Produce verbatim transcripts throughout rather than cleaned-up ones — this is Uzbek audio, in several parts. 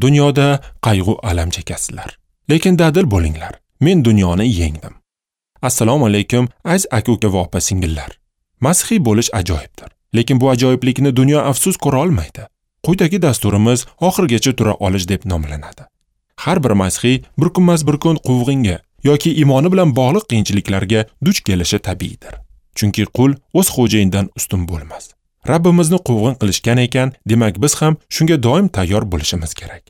Dunyoda qayg'u alam chekasizlar. Lekin dadil bo'linglar. Men dunyoni yengdim. Assalomu alaykum, aziz aka-uka va opa-singillar. Masihiy bo'lish ajoyibdir. Lekin bu ajoyiblikni dunyo afsus ko'ra olmaydi. Quyidagi dasturimiz oxirigacha tura olish deb nomlanadi. Har bir masihiy bir kunmas bir kun quvg'inga yoki iymoni bilan bog'liq qiyinchiliklarga duch kelishi tabiiydir. Chunki qul o'z xo'jayinidan ustun bo'lmas. Rabbimizni quvg'in qilishgan ekan, demak biz ham shunga doim tayyor bo'lishimiz kerak.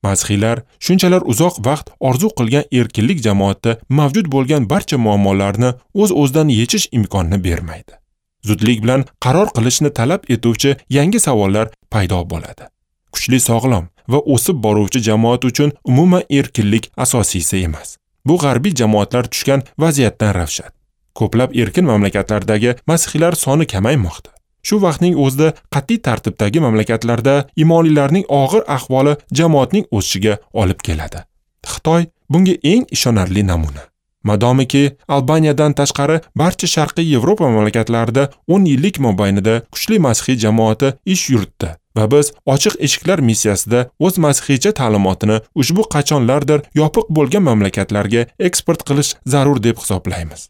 Masihiylar shunchalar uzoq vaqt orzu qilgan erkinlik jamoatda mavjud bo'lgan barcha muammolarni o'z-o'zidan yechish imkonini bermaydi. Zudlik bilan qaror qilishni talab etuvchi yangi savollar paydo bo'ladi. Kuchli, sog'lom va o'sib boruvchi jamoat uchun umuman erkinlik asosiysi emas. Bu g'arbiy jamoatlar tushgan vaziyatdan ravshan. Ko'plab erkin mamlakatlardagi masihiylar soni kamaymoqda. Shu vaqtning o'zida qat'iy tartibdagi mamlakatlarda imonlilarning og'ir ahvoli jamoatning o'sishiga olib keladi. Xitoy bunga eng ishonarli namuna. Madomiki Albaniyadan tashqari barcha Sharqiy Yevropa mamlakatlarida o'n yillik mobaynida kuchli masihiy jamoati ish yuritdi va biz ochiq eshiklar missiyasida o'z masihiycha ta'limotini ushbu qachonlardir yopiq bo'lgan mamlakatlarga eksport qilish zarur deb hisoblaymiz.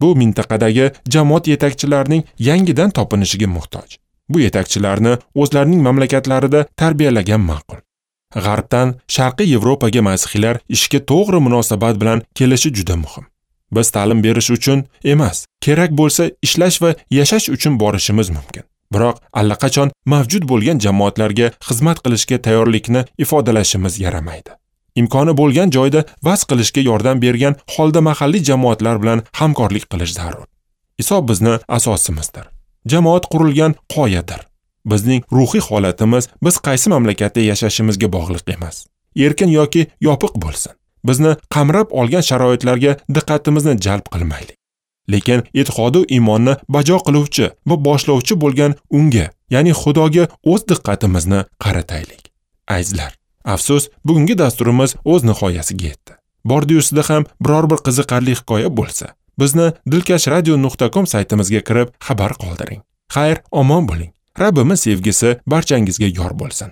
Bu mintaqadagi jamoat yetakchilarining yangidan topinishiga muhtoj. Bu yetakchilarni o'zlarining mamlakatlarida tarbiyalagan ma'qul. G'arbdan Sharqiy Yevropaga masihiylar ishga to'g'ri munosabat bilan kelishi juda muhim. Biz ta'lim berish uchun emas, kerak bo'lsa ishlash va yashash uchun borishimiz mumkin. Biroq allaqachon mavjud bo'lgan jamoatlarga xizmat qilishga tayyorlikni ifodalashimiz yaramaydi. Imkoni bo'lgan joyda vaz qilishga yordam bergan holda mahalliy jamoatlar bilan hamkorlik qilish zarur. Iso bizni asosimizdir. Jamoat qurilgan qoyadir. Bizning ruhiy holatimiz biz qaysi mamlakatda yashashimizga bog'liq emas. Erkin yoki yopiq bo'lsin. Bizni qamrab olgan sharoitlarga diqqatimizni jalb qilmaylik. Lekin e'tiqodu iymonni bajo qiluvchi va boshlovchi bo'lgan unga, ya'ni Xudoga o'z diqqatimizni qarataylik. Azizlar, afsus, bugungi dasturimiz o'z nihoyasiga yetdi. Bordi-yusida ham biror bir qiziqarli hikoya bo'lsa, bizni dilkash radio nuqta com saytimizga kirib xabar qoldiring. Xayr, omon bo'ling. Rabbimiz sevgisi barchangizga yor bo'lsin.